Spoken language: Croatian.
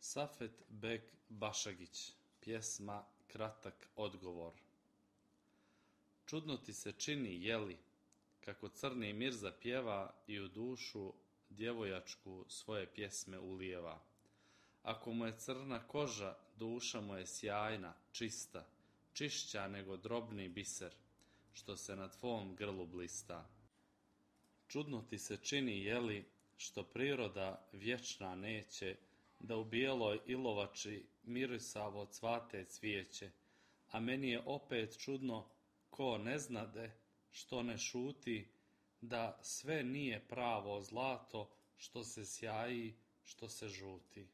Safet Bek Bašagić, pjesma Kratak odgovor. Čudno ti se čini, jeli, kako crni Mirza pjeva i u dušu djevojačku svoje pjesme ulijeva. Ako mu je crna koža, duša mu je sjajna, čista, čišća nego drobni biser, što se na tvom grlu blista. Čudno ti se čini, jeli, što priroda vječna neće da u bijeloj ilovači mirisavo cvate cvijeće, a meni je opet čudno ko ne znade, što ne šuti, da sve nije pravo zlato što se sjaji, što se žuti.